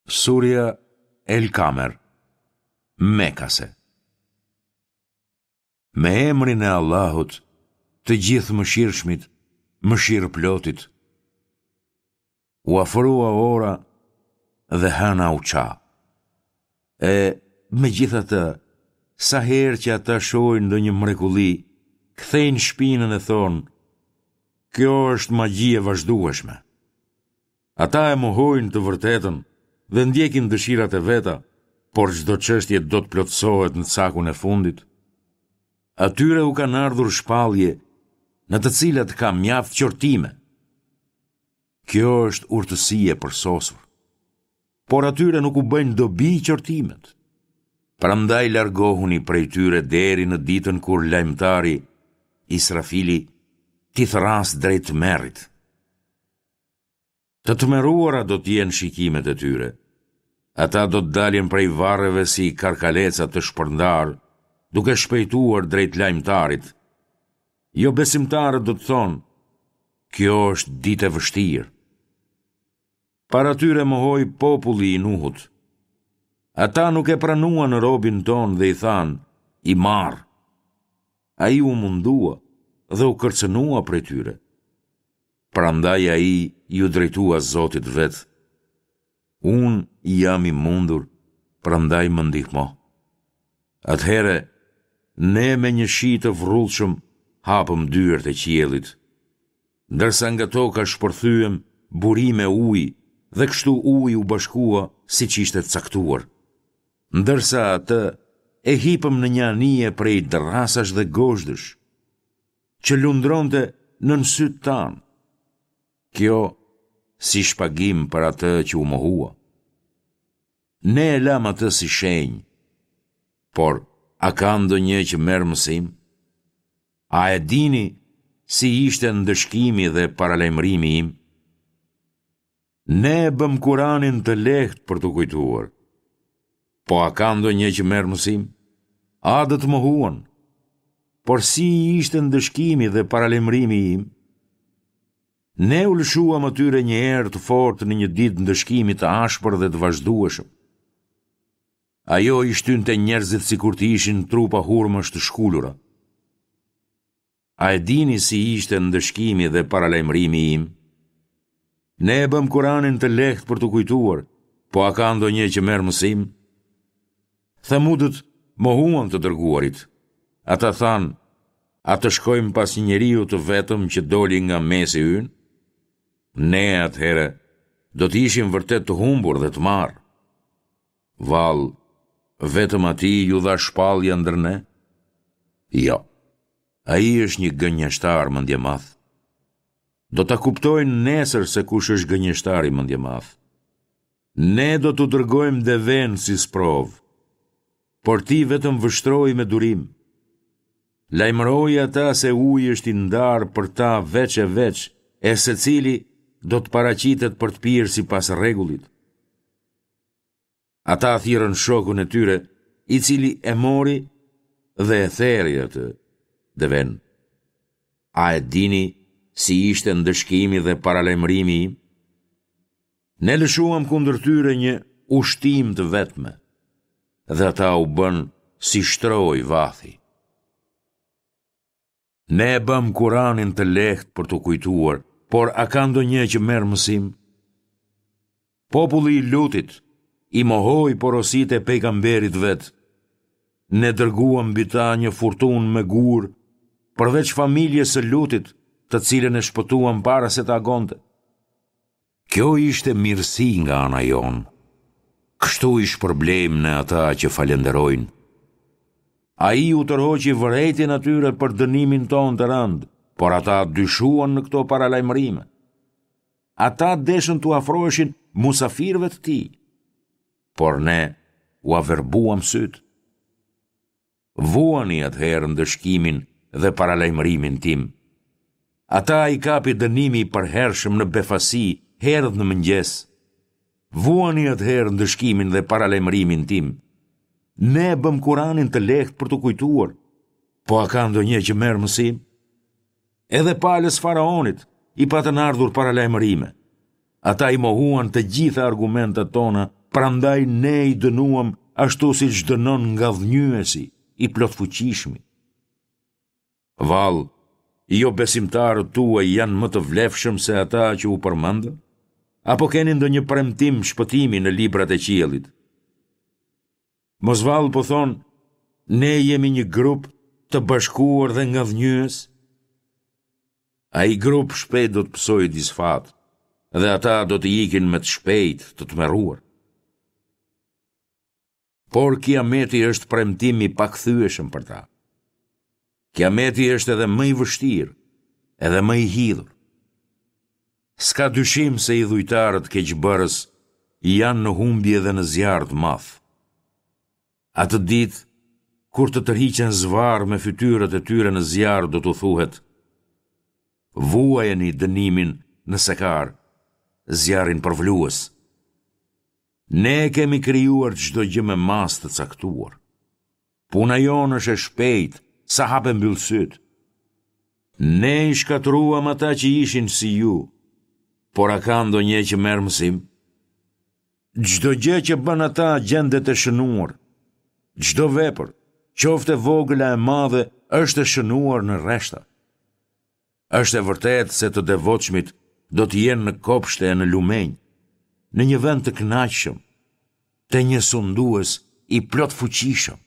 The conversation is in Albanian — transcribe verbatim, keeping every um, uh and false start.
Surja El Kamer, Mekase. Me emrin e Allahut, të Gjithëmëshirshmit, mëshirëplotit. U afrua ora dhe hëna u ça. E, megjithatë, sa herë që ata shohin ndonjë mrekulli, kthejnë shpinën e thonë, kjo është magji e vazhdueshme. Ata e mohojnë të vërtetën dhe ndjekin dëshirat e veta, por çdo çështje do të plotësohet në cakun e fundit. Atyre u kanë ardhur shpallje në të cilat ka mjaft qortime. Kjo është urtësi e përsosur. Por atyre nuk u bëjnë dobi qortimet. Prandaj largohuni prej tyre deri në ditën kur lajmëtari, Israfili, t'i thërrasë drejt tmerrit. Të tmerruara do të jenë shikimet e tyre. Ata do të dalin prej varreve si karkaleca të shpërndarë, duke shpejtuar drejt lajmëtarit. Jobesimtarët do të thonë, kjo është ditë e vështirë. Para tyre mohoi populli i Nuhut. Ata nuk e pranuan robin tonë dhe i thanë, i marrë. Ai u mundua dhe u kërcënua prej tyre. Prandaj ai iu drejtua Zotit të vet, Unë jam i mundur, prandaj më ndihmo. Atëherë, ne me një shi të vrullshëm hapëm dyert e qiellit, ndërsa nga toka shpërthyem burime uji dhe kështu uji u bashkua siç ishte caktuar. Ndërsa atë e hipëm në një anije prej dërrasash dhe gozhdësh, që lundronte nën sytë tanë. Kjo si shpagim për atë që u mohua. Ne e lamë atë si shenjë, por a ka ndonjë që merr mësim? A e dini si ishte ndëshkimi dhe paralajmërimi im? Ne e bëmë Kuranin të lehtë për t'u kujtuar. Po a ka ndonjë që merr mësim? Adët mohuan. Por si ishte ndëshkimi dhe paralajmërimi im? Ne u lëshuam atyre një erë të fortë në një ditë ndëshkimi të ashpër dhe të vazhdueshëm. Ajo i shtynte njerëzit sikur të ishin trupa hurmash të shkulura. A e dini si ishte ndëshkimi dhe paralajmërimi im? Ne e bëmë Kuranin të lehtë për t'u kujtuar, po a ka ndonjë që merr mësim? Themudët mohuan të dërguarit. Ata thanë, a të shkojmë pas një njeriu të vetëm që doli nga mesi ynë? Ne atëherë do të ishim vërtet të humbur dhe të marrë. Vallë, vetëm atij iu dha shpallja ndër ne? Jo, ai është një gënjeshtar mendjemadh. Do ta kuptojnë nesër se kush është gënjeshtari mendjemadh. Ne do t'u dërgojmë devenë si sprovë, por ti vetëm vështroji me durim. Lajmëroji ata se uji është i ndarë për ta veç e veç, e secili do të paraqitet për të pirë sipas rregullit. Ata thirrën shokun e tyre, i cili e mori dhe e theri atë, devenë. A e dini si ishte ndëshkimi dhe paralajmërimi im? Ne lëshuam kundër tyre një ushtimë të vetme, dhe ata u bënë si shtrojë vathi. Ne e bëmë Kuranin të lehtë për t'u kujtuar, por a ka ndonjë që merr mësim? Populli i Lutit i mohoi porositë e pejgamberit të vet. Ne dërguam mbi ta një furtunë me gurë, përveç familjes së Lutit, të cilën e shpëtuam para se të agonte. Kjo ishte mirësi nga ana jonë. Kështu i shpërblejmë ne ata që falënderojnë. Ai u tërhoqi vërejtjen atyre për dënimin tonë të rëndë, por ata dyshuan në këto paralajmërime. Ata deshën t'u afroheshin musafirëve të tij, por ne ua verbuam sytë. Vuani atëherë ndëshkimin dhe paralajmërimin tim. Ata i kapi dënimi i përhershëm në befasi herët në mëngjes. Vuani atëherë ndëshkimin dhe paralajmërimin tim. Ne e bëmë Kuranin të lehtë për t'u kujtuar, po a ka ndonjë që merr mësim? Edhe palës faraonit i patën ardhur paralajmërime. Ata i mohuan të gjitha argumentet tona Prandaj ne i dënuam ashtu siç dënon ngadhënjyesi, i plotfuqishmi. Vallë, jobesimtarët tuaj janë më të vlefshëm se ata që u përmendën? Apo keni ndonjë premtim shpëtimi në librat e qiellit? Mos vallë po thonë, ne jemi një grup të bashkuar dhe ngadhënjyes? Ai grup shpejt do të pësojë disfatë dhe ata do të ikin me të shpejtë të tmerruar. Por kiameti është premtim i pakthyeshëm për ta. Kiameti është edhe më i vështirë, edhe më i hidhur. S'ka dyshim se idhujtarët keqbërës janë në humbje dhe në zjarr të madh. Atë ditë, kur të tërhiqen zvarrë me fytyrat e tyre në zjarr do t'u thuhet, Vuajeni dënimin në Sekar, zjarrin përvëlues. Ne e kemi krijuar çdo gjë me masë të caktuar. Puna jonë është e shpejtë, sa hap e mbyll sytë. Ne i shkatërruam ata që ishin si ju, por a ka ndonjë që merr mësim? Çdo gjë që bënë ata gjendet e shënuar. Çdo vepër, qoftë e vogël a e madhe, është e shënuar në rreshta. Është e vërtetë se të devotshmit do të jenë në kopshte e në lumenj, në një vend të kënaqshëm, te një sundues i plotfuqishëm.